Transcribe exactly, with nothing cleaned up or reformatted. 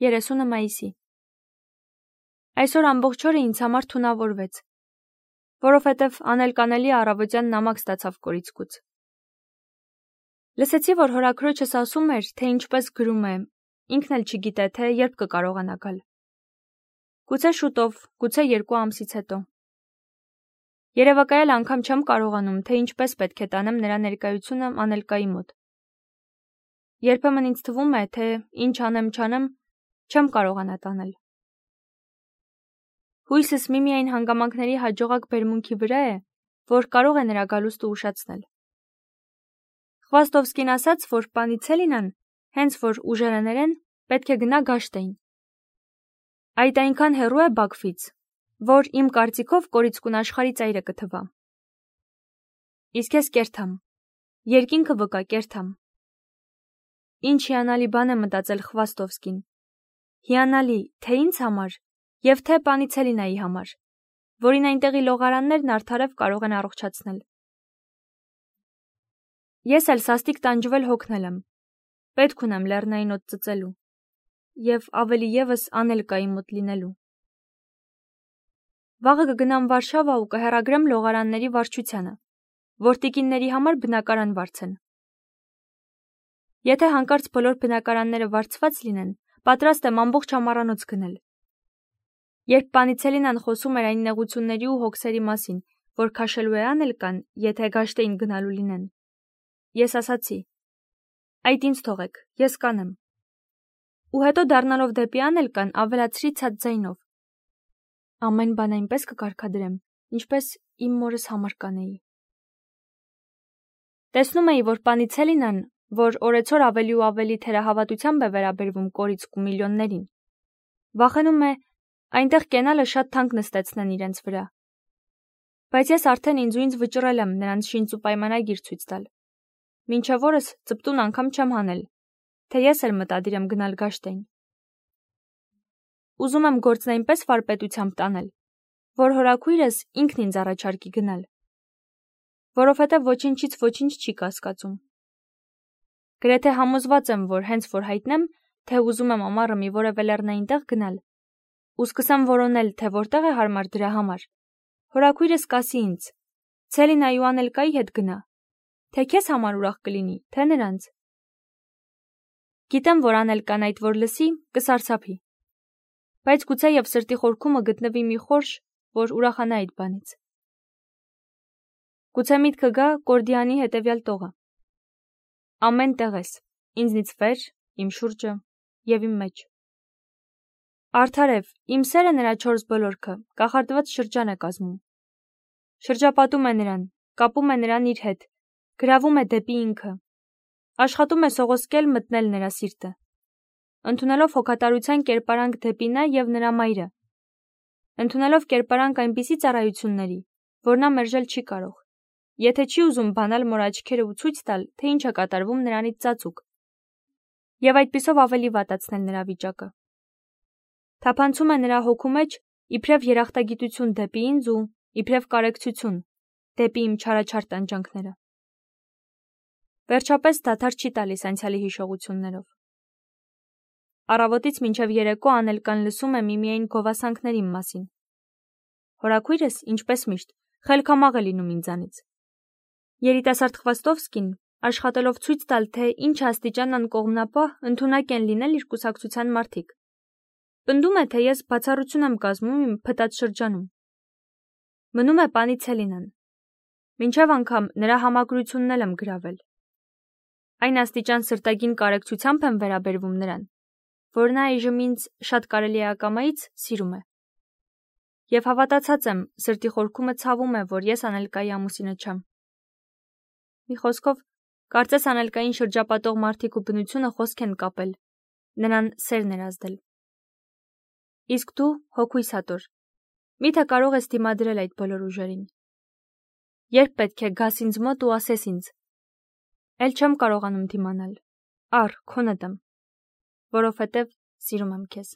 երեսունը մայիսի։ Այսօր ամբողջ օրը ինձ համար թունավորվեց, որովհետև աներկանելի առավոտյան նամակ ստացավ կորիցկուց։ Լսեցի, որ հորաքրոջս ասում էր, թե ինչպես գրում է, ինքն էլ չգիտե, թե երբ կկարողանա գալ։ Գուցե շուտով, գուցե երկու ամսից հետո։ Երևակայել անգամ չեմ կարողանում, թե ինչպես պետք է տանեմ նրա ներկայությունը Անելկայի մոտ։ Երբեմն ինձ թվում է, թե ինչ անեմ չանեմ, չեմ կարողանա տանել։ Հույսս միմիայն հանգամանքների հաջողակ բերմունքի վրա է, որ կարող է նրա գալուստը ուշացնել։ Խվաստովսկին ասաց, որ Պանիցելինան, հենց որ ուժերը ներեն, պետք է գնա Գաշտեին։ Այդ այնքան հեռու է Բաքվից, որ իմ կարծիքով կորիցկուն աշխարհի ծայրը կթվա։ Իսկ ես կերթամ, երկինքը վկա կերթամ։ Ինչ հիանալի բան է մտածել Խվաստովսկին։ Հիանալի, թե ինձ համար, և թե Պանիցելինայի համար, որին այնտեղի լողարաններն արդարև կարող են առողջացնել։ Ես էլ սաստիկ տանջվել հոգնել եմ, պետք ունեմ լեռնային օդ ծծելու, և ավելի ևս Անելկայի մոտ լինելու։ Վաղը կգնամ Վարշավա ու կհեռագրեմ լողարանների վարչությանը, որ տիկինների համար բնակարան վարձեն։ Եթե հանկարծ բոլոր բնակարանները վարձված լինեն, պատրաստ եմ ամբողջ ամառանոց գնել։ Երբ Պանիցելինան խոսում էր այն նեղությունների ու հոգսերի մասին, որ քաշելու է Անելկան, եթե Գաշտեին գնալու լինեն, ես ասացի. այդ ինձ թողեք, ես կանեմ։ Ու հետո դառնալով դեպի Անելկան ավելացրի ցած ձայնով. ամեն բան այնպես կկարգադրեմ, ինչպես իմ մորս համար կանեի։ Տեսնում էի, որ Պանիցելինան, որ օրեցօր ավելի ու ավելի թերահավատությամբ է վերաբերվում կորիցկու միլիոններին, վախենում է այնտեղ կենալը շատ թանկ նստեցնեն իրենց վրա։ Բայց ես արդեն ինձ ու ինձ վճռել եմ նրանց շինծ ու պայմանագիր ցույց տալ։ Մինչև օրս ծպտուն անգամ չեմ հանել, թե ես էլ մտադիր եմ գնալ Գաշտեին։ Ուզում եմ գործն այնպես վարպետությամբ տանել, որ հորաքույրս ինքն ինձ առաջարկի գնալ, որովհետև ոչինչից ոչինչ չի կասկածում։ Գրեթե համոզված եմ, որ հենց որ հայտնեմ, թե ուզում եմ ամառը մի որևէ լեռնային տեղ գնալ, ու սկսեմ որոնել, թե որտեղ է հարմար դրա համար, հորաքույրս կասի ինձ. Ցելինայի ու Անելկայի հետ գնա, թե քեզ համար ուրախ կլինի, թե նրանց։ Գիտեմ, որ Անելկան այդ որ լսի, կսարսափի, բայց գուցե և սրտի խորքումը գտնվի մի խորշ, որ ուրախանա այդ բանից։ Գուցե միտքը գա Կորդիանի հետևյալ տողը։ Ամեն տեղ ես, ինձնից վեր, իմ շուրջը և իմ մեջ։ Արդարև, իմ սերը նրա չորս բոլորքը կախարդված շրջան է կազմում։ Շրջապատում է նրան, կապում է նրան իր հետ, գրավում է դեպի ինքը, աշխատում է սողոսկել մտնել նրա սիրտը, ընդունելով հոգատարության կերպարանք դեպի նա և նրա մայրը, ընդունելով կերպարանք այնպիսի ծառայությունների, որ նա մերժել չի կարող, եթե չի ուզում բանալ մոր աչքերը ու ցույց տալ, թե ինչ է կատարվում նրանից ծածուկ, և այդպիսով ավելի վատացնել նրա վիճակը։ Թափանցում է նրա հոգու մեջ իբրև երախտագիտություն դեպի ինձ ու իբրև կարեկցություն դեպի իմ չարաչար տանջանքները։ Վերջապես դադար չի տալիս անցյալի հիշողություններով։ Առավոտից մինչև երեկո Անելկան լսում է միմիայն գովասանքներ իմ մասին։ Հորաքույրս, ինչպես միշտ, խելքամաղ է լինում ինձանից։ Երիտասարդ Խվաստովսկին, աշխատելով ցույց տալ, թե ինչ աստիճան անկողմնապահ ընդունակ են լինել իր կուսակցության մարդիկ, պնդում է, թե ես բացառություն եմ կազմում իմ փտած շրջանում։ Մնում է Պանիցելինան։ Մինչև անգամ նրա համակրությունն էլ եմ գրավել։ Այն աստիճան սրտագին կարեկցությամբ եմ վերաբերվում նրան, որ նա այժմ ինձ շատ կարելի է ակամայից սիրում է։ Եվ հավատացած եմ, սրտի խորքումը ցավում է, որ ես Անելկայի ամուսինը չեմ։ Մի խոսքով, կարծես Անելկային շրջապատող մարդիկ ու բնությունը խոսք են կապել, նրան սերն էր ազդել։ Իսկ դու, հոգույս հատոր, միթե կարող ես դիմադրել այդ բոլոր ուժերին։ Երբ պետք է գաս ինձ մոտ ու ասես ինձ. Էլ չեմ կարողանում դիմանալ, առ քոնդ եմ, որովհետև սիրում եմ քեզ։